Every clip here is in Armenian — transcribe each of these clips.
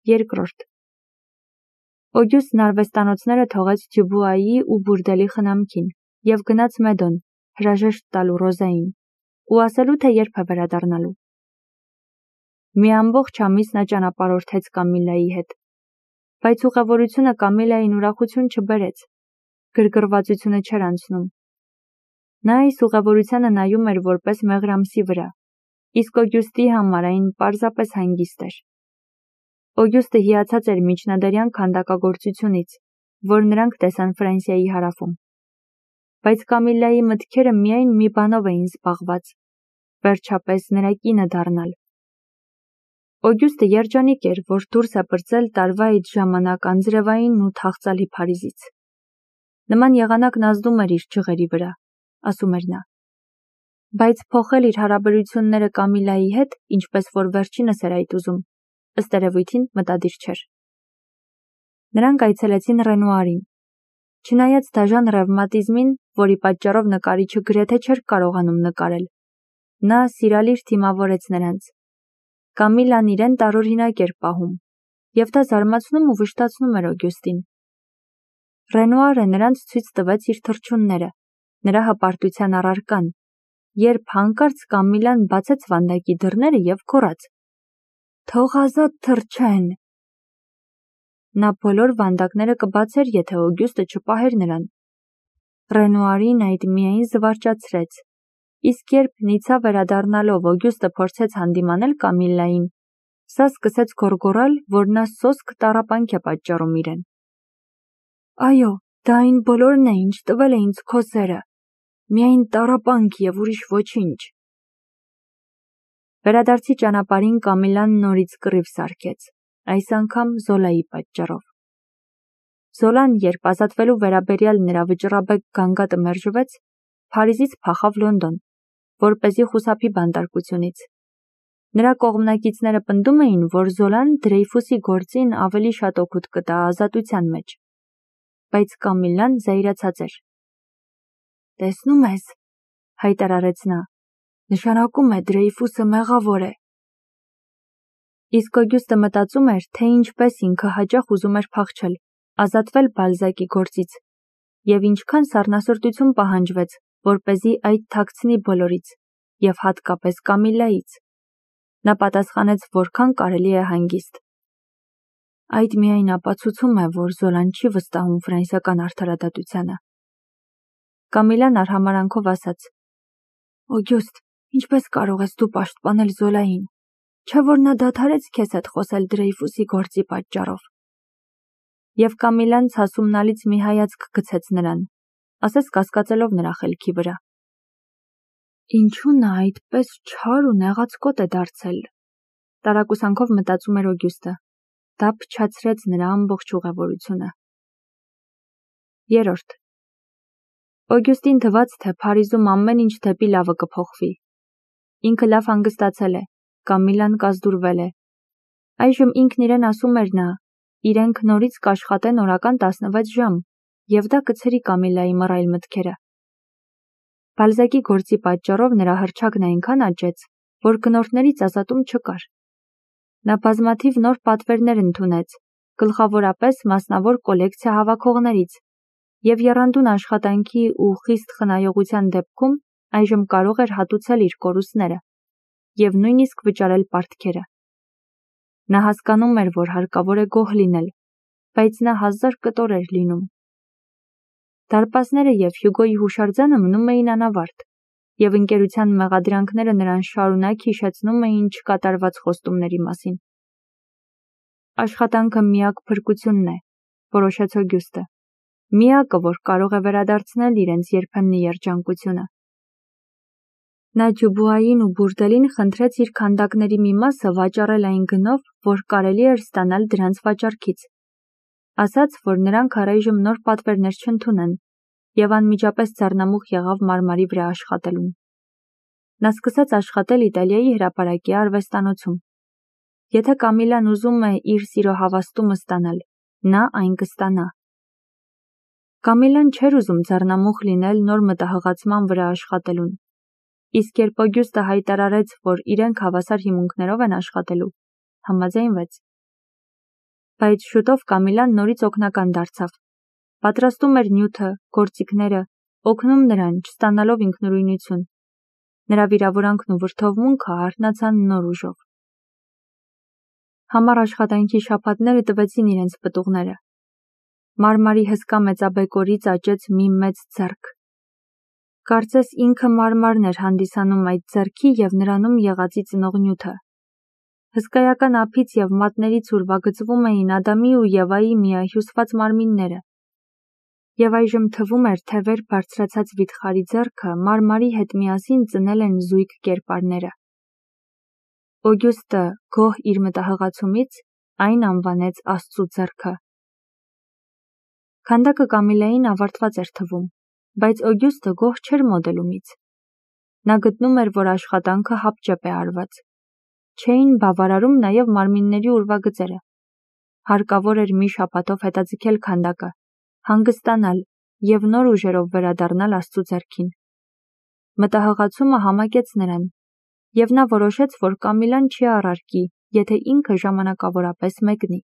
Երկրորդ. Օգյուստն արվեստանոցները թողեց Դյուբուայի ու բուրդելի խնամքին և գնաց Մեդոն, հրաժեշտ տալու Ռոզային, ու ասելու, թե երբ է վերադառնալու։ Մի ամբողջ ամիս նա ճանապարհորդեց Կամիլայի հետ, բայց ուղևորությունը Կամիլային ուրախություն չբերեց, գրգռվածությունը չէր անցնում։ Նա այս ուղևորությանը նայում էր որպես մեղրամսի վրա, իսկ Օգյուստի համար այն պարզապես հանգիստ էր։ Օգյուստը հիացած էր միջնադարյան քանդակագործությունից, որ նրանք տեսան Ֆրանսիայի հարավում։ Բայց Կամիլայի մտքերը միայն մի բանով էին զբաղված, վերջապես նրա կինը դառնալ։ Օգյուստը երջանիկ էր, որ դուրս է պրծել տարվա այդ ժամանակ անձրևային ու թախծալի Փարիզից։ Նման եղանակն ազդում էր իր ջղերի վրա, ասում էր նա։ Բայց փոխել իր հարաբերությունները Կամիլայի հետ, ինչպես որ վերջինս էր այդ ուզում, ըստ երևույթին մտադիր չէր։ Նրանք այցելեցին Ռենուարին։ Չնայած դաժան ռևմատիզմին, որի պատճառով նկարիչը գրեթե չէր կարողանում նկարել, նա սիրալիր թիմավորեց նրանց։ Կամիլան իրեն տարօրինակ էր պահում, և դա զարմացնում ու վշտացնում էր Օգյուստին։ Ռենուարը նրանց ցույց տվեց իր թռչունները, նրա հպարտության առարկան, երբ հանկարծ Կամիլան բացեց վանդակի դռները և գոռաց. «Թող ազատ թռչեն»։ Նա բոլոր վանդակները կբացեր, եթե Օգյուստը չպահեր նրան։ Ռենուարին այդ միայն զվարճացրեց, իսկ երբ նիցա վերադառնալով Օգյուստը փորձեց հանդիմանել Կամիլային, սա սկսեց գոռգոռալ, որ նա սոսկ տառապանք է պատճառում իրեն։ «Այո, դա այն բոլորն է, ինչ տվել է ինձ քո սերը, միայն տառապանք և ուրիշ ոչինչ»։ Վերադարձի ճանապարհին Կամիլան նորից կռիվ սարքեց, այս անգամ Զոլայի պատճառով։ Զոլան, երբ ազատվելու վերաբերյալ նրա վճռաբեկ գանգատը մերժվեց, Փարիզից փախավ Լոնդոն, որպեսզի խուսափի բանտարկությունից։ Նրա կողմնակիցները պնդում էին, որ Զոլան Դրեյֆուսի գործին ավելի շատ օգուտ կտա ազատության մեջ։ Բայց Կամիլան զայրացած էր։ «Տեսնում ես», հայտարարեց նա, «նշանակում է Դրեյֆուսը մեղավոր է»։ Իսկ Օգյուստը մտածում էր, թե ինչպես ինքը հաճախ ուզում էր փախչել, ազատվել Բալզակի գործից, և ինչքան սառնասրտություն պահանջվեց, որպեսզի այդ թաքցնի բոլորից, և հատկապես Կամիլայից։ Նա պատասխանեց, որքան կարելի է հանգիստ։ Այդ միայն ապացուցում է, որ Զոլան չի վստահում ֆրանսիական արդարադատությանը։ Կամիլան արհամարհանքով ասաց. «Օգյուստ, ինչպես կարող ես դու պաշտպանել Զոլային, չէ՞ որ նա դադարեց քեզ հետ խոսել Դրեյֆուսի գործի պատճառով»։ Եվ Կամիլան ցասումնալից մի հայացք գցեց նրան, ասես կասկածելով նրա խելքի վրա։ Ինչու նա այդպես չար ու նեղացկոտ է դարձել, տարակուսանքով մտածում էր Օգյուստը։ Դա փչացրեց նրա ամբողջ ուղևորությունը։ Երրորդ. Օգյուստին թվաց, թե Փարիզում ամեն ինչ դեպի լավը կփոխվի։ Ինքը լավ հանգստացել է, Կամիլան կազդուրվել է։ Այժմ ինքն իրեն ասում էր նա, իրենք նորից կաշխատեն օրական 16 ժամ, և դա կցրի Կամիլայի մռայլ մտքերը։ Բալզակի գործի պատճառով նրա հռչակն այնքան աճեց, որ գնորդներից ազատում չկար։ Նա բազմաթիվ նոր պատվերներ ընդունեց, գլխավորապես մասնավոր կոլեկցիա հավաքողներից, և եռանդուն աշխատանքի ու խիստ խնայողության դեպքում այժմ կարող էր հատուցել իր կորուստները և նույնիսկ վճարել պարտքերը։ Նա հասկանում էր, որ հարկավոր է գոհ լինել, բայց նա 1000 կտոր էր լինում։ Դարպասները և Հյուգոյի հուշարձանը մնում էին անավարտ, և ընկերության մեղադրանքները նրան շարունակ հիշեցնում էին չկատարված խոստումների մասին։ Աշխատանքը միակ փրկությունն է, որոշեց Օգյուստը, միակը, որ կարող է վերադարձնել իրենց երբեմնի երջանկությունը։ Նա Դյուբուային ու բուրդելին խնդրեց իր քանդակների մի մասը վաճառել այն գնով, որ կարելի էր ստանալ դրանց վաճառքից։ Ասաց, որ նրանք առայժմ նոր պատվերներ չընդունեն, և անմիջապես ձեռնամուխ եղավ մարմարի վրա աշխատելուն։ Նա սկսեց աշխատել Իտալիայի հրապարակի արվեստանոցում։ Եթե Կամիլան ուզում է իր սիրո հավաստումը ստանալ, նա այն կստանա։ Կամիլան չէր ուզում ձեռնամուխ լինել նոր մտահղացման վրա աշխատելուն, իսկ երբ Օգյուստը հայտարարեց, որ իրենք հավասար հիմունքներով են աշխատելու, համաձայնվեց։ Բայց շուտով Կամիլան նորից օգնական դարձավ։ Պատրաստում էր նյութը, գործիքները, օգնում նրան, չստանալով ինքնուրույնություն։ Նրա վիրավորանքն ու վրդովմունքը արթնացան նոր ուժով։ Համառ աշխատանքի շաբաթները տվեցին իրենց պտուղները։ Մարմարի հսկա մեծաբեկորից աճեց մի մեծ ձեռք։ Կարծես ինքը մարմարն էր հանդիսանում այդ ձեռքի և նրանում եղածի ծնող նյութը։ Հսկայական ափից և մատներից ուրվագծվում էին Ադամի ու Եվայի միահյուսված մարմինները։ Եվ այժմ թվում էր, թե վեր բարձրացած վիթխարի ձեռքը մարմարի հետ միասին ծնել են զույգ կերպարները։ Օգյուստը, գոհ իր մտահղացումից, այն անվանեց Աստծու ձեռքը։ Քանդակը Կամիլային ավարտված էր թվում, բայց Օգյուստը գոհ չէր մոդելումից։ Նա գտնում էր, որ աշխատանքը հապճեպ է արված։ Չէին բավարարում նաև մարմինների ուրվագծերը։ Հարկավոր էր մի շաբաթով հետաձգել քանդակը, հանգստանալ և նոր ուժերով վերադառնալ Աստծու ձեռքին։ Մտահղացումը համակեց նրան, և նա որոշեց, որ Կամիլան չի առարկի, եթե ինքը ժամանակավորապես մեկնի։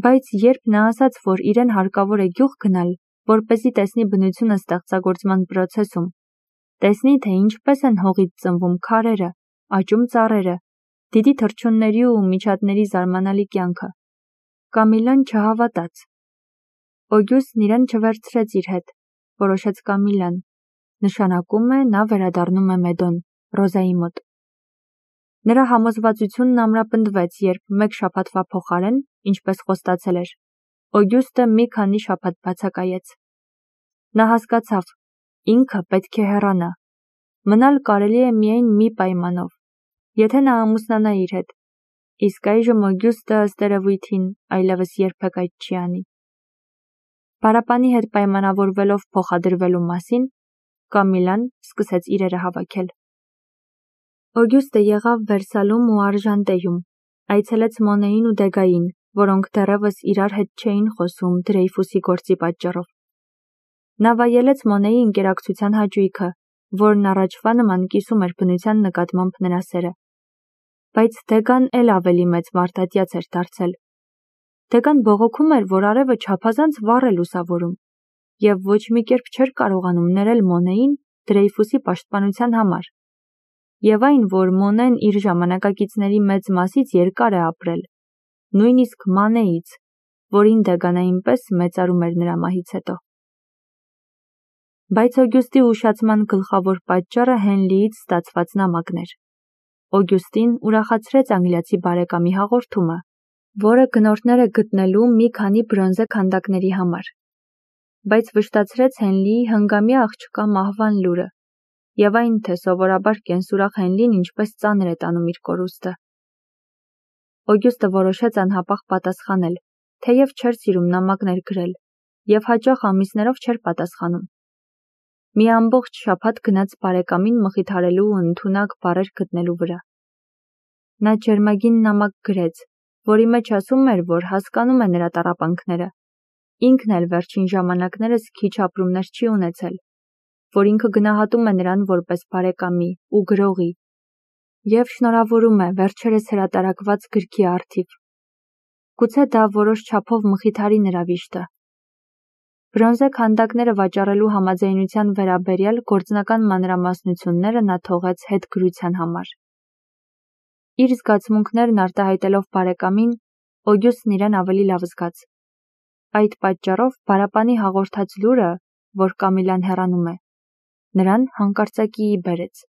Բայց երբ նա ասաց, որ իրեն հարկավոր է գյուղ գնալ, որպեսզի տեսնի բնությունը ստեղծագործման պրոցեսում, տեսնի, թե ինչպես են հողից ծնվում քարերը, աճում ծառերը, դիդի թռչունների ու միջատների զարմանալի կյանքը, Կամիլան չհավատաց։ Օգյուստն իրեն չվերցրեց իր հետ, որոշեց Կամիլան, նշանակում է նա վերադառնում է Մեդոն, Ռոզայի մոտ։ Նրա համոզվածությունն ամրապնդվեց, երբ մեկ շաբաթվա փոխարեն, ինչպես խոստացել էր, Օգյուստը մի քանի շաբաթ բացակայեց։ Նա հասկացավ, ինքը պետք է հեռանա։ Մնալ կարելի է միայն մի պայմանով, եթե նա ամուսնանա իր հետ, իսկ այժմ Օգյուստը ըստ երևույթին այլևս երբեք այդ չի անի։ Պարապանի հետ պայմանավորվելով փոխադրվելու մասին, Կամիլան սկսեց իրերը հավաքել։ Օգյուստը եղավ Վերսալում ու Արժանտեյում, այցելեց Մոնեին ու Դեգային, որոնք դեռևս իրար հետ չէին խոսում Դրեյֆուսի գործի պատճառով։ Նա վայելեց Մոնեի ընկերակցության հաճույքը, որն առաջվա նման կիսում էր բնության նկատմամբ նրա սերը։ Բայց Դեգան էլ ավելի մեծ մարդատյաց էր դարձել։ Դեգան բողոքում էր, որ արևը չափազանց վառ է լուսավորում, և ոչ մի կերպ չէր կարողանում ներել Մոնեին Դրեյֆուսի պաշտպանության համար, և այն, որ Մոնեն իր ժամանակակիցների մեծ մասից երկար է ապրել, նույնիսկ Մանեից, որին Դեգան այնպես մեծարում էր նրա մահից հետո։ Բայց Օգյուստի ուշացման գլխավոր պատճառը Հենլիից ստացված նամակն էր։ Օգյուստին ուրախացրեց անգլիացի բարեկամի հաղորդումը, որը գնորդներ է գտնելու մի քանի բրոնզե քանդակների համար, բայց վշտացրեց Հենլիի հնգամյա աղջկա մահվան լուրը, և այն, թե սովորաբար կենսուրախ Հենլին ինչպես ծանր է տանում իր կորուստը։ Օգյուստը որոշեց անհապաղ պատասխանել, թեև չէր սիրում նամակներ գրել, և հաճախ ամիսներով չէր պատասխանում։ Մի ամբողջ շաբաթ գնաց բարեկամին մխիթարելու ու ընդունակ բառեր գտնելու վրա։ Նա ջերմագին նամակ գրեց, որի մեջ ասում էր, որ հասկանում է նրա տառապանքները, ինքն էլ վերջին ժամանակներս քիչ ապրումներ չի ունեցել, որ ինքը գնահատում է նրան որպես բարեկամի ու գրողի, և շնորհավորում է վերջերս հրատարակված գրքի առթիվ։ Գուցե դա որոշ չափով մխիթարի նրա վիշտը։ Բրոնզե քանդակները վաճառելու համաձայնության վերաբերյալ գործնական մանրամասնությունները նա թողեց հետգրության համար։ Իր զգացմունքներն արտահայտելով բարեկամին, Օգյուստն իրեն ավելի լավ զգաց։ Այդ պատճառով բարապանի հաղորդած լուրը, որ Կամիլան հեռանում է, նրան հանկարծակիի բերեց։